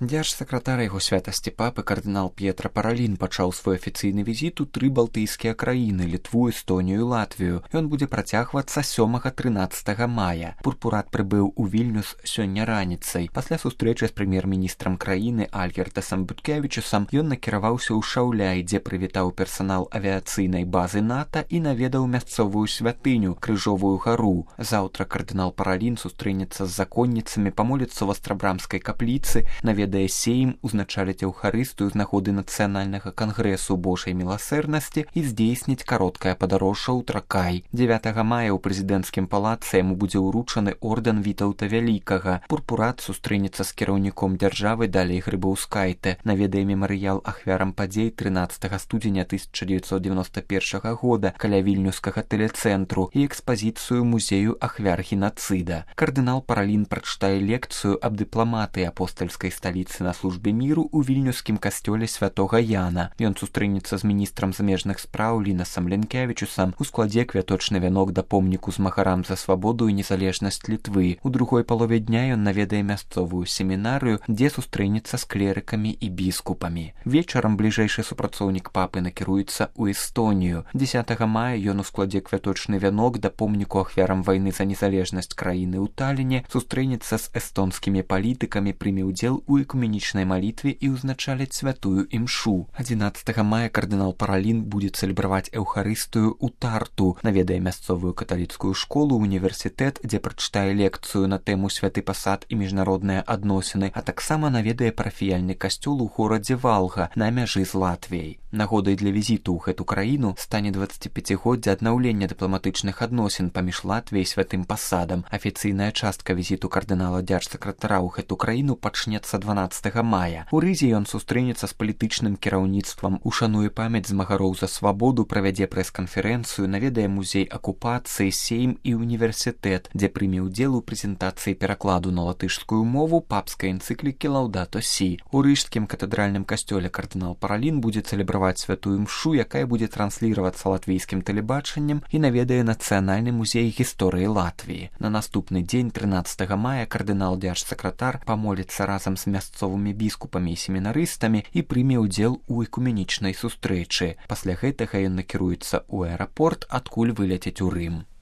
Дзяржсакратар яго святасці папы кардынал П'етра Паралін пачаў свой афіцыйны візіт у 3 балтыйскія краіны: Літву, Эстонію і Латвію. Ён будзе працягвацца 7-13 мая. Пурпурат прыбыў у Вільнюс сёння раніцай. Пасля сустрэчы з прэм'ер-міністрам краіны Альгертасам Буткевічусам ён накіраваўся ў Шаўляй, дзе прывітаў персанал авіяцыйнай базы НАТО і наведаў мясцовую святыню Крыжовую гару. Заўтра кардынал Паралін сустрэнецца з законніцамі, памоліцца ў Астрабрамскай капліцы, наведае сейм, узначаліць эўхарыстыю з нагоды нацыянальнага кангрэсу Божай міласэрнасці і здзейсніць кароткае падарожжа ў Тракай. 9 мая ў прэзідэнцкім палацы яму будзе ўручаны ордэн Вітаўта Вялікага. Пурпурат сустрэнецца з кіраўніком дзяржавы Далей Грыбаўскайте, наведае мемарыял ахвярам падзей 13 студзеня 1991 года каля вільнюскага тэлецэнтру і экспазіцыю музею ахвяр генацыда. Кардынал Паралін прачытае лекцыю аб дыпламатыі апостальскай сталіцы на службе міру ў вільнюскім касцёле святога Яна. Ён сустрэнецца з міністрам замежных спраў Лінасам Ленкевічусам, у складзе квяточны вянок да помніку змагарам за свабоду і незалежнасць Літвы. У другой палове дня ён наведае мясцовую семінарыю, дзе сустрэнецца з клерыкамі і біскупамі. Вечарам бліжэйшы супрацоўнік папы накіруецца ў Эстонію. 10 мая ён у складзе квяточны вянок да помніку ахвярам вайны за незалежнасць краіны ў Таліне сустрэнецца з эстонскімі палітыкамі, прыме ўдзел у экуменічнай малітве і ўзначаліць святую імшу. 11 мая кардынал Паралін будзе цэлебраваць эўхарыстыю ў Тарту, наведае мясцовую каталіцкую школу, універсітэт, дзе прачытае лекцыю на тэму святы пасад і міжнародныя адносіны, а таксама наведае парафіяльны касцёл у горадзе Валга на мяжы з Латвіяй. Нагодай для візіту ў гэту краіну стане 25годдзе аднаўлення дыпламатычных адносін паміж Латвіяй і святым пасадам. Афіцыйная частка візіту кардынала дзяржсакратара ў гэту краіну пачнецца 12 мая. У Рызе ён сустрэнецца з палітычным кіраўніцтвам, ушануе памяць змагароў за свабоду, правядзе прэс-канферэнцыю, наведае музей акупацыі, сейм і універсітэт, дзе прыме ўдзел у прэзентацыі перакладу на латышскую мову папскай энцыклікі Лаўдато Сі. У рыжскім катэдральным касцёле кардынал Паралін будзе цэлебраваць святую імшу, якая будзе трансліравацца латвійскім тэлебачаннем, і наведае нацыянальны музей гісторыі Латвіі. На наступны дзень, 13 мая, кардынал дзяржсакратар памоліцца разам з мясцовымі біскупамі і семінарыстамі і прыме ўдзел у экуменічнай сустрэчы. Пасля гэтага ён накіруецца ў аэрапорт, адкуль выляцець у Рым.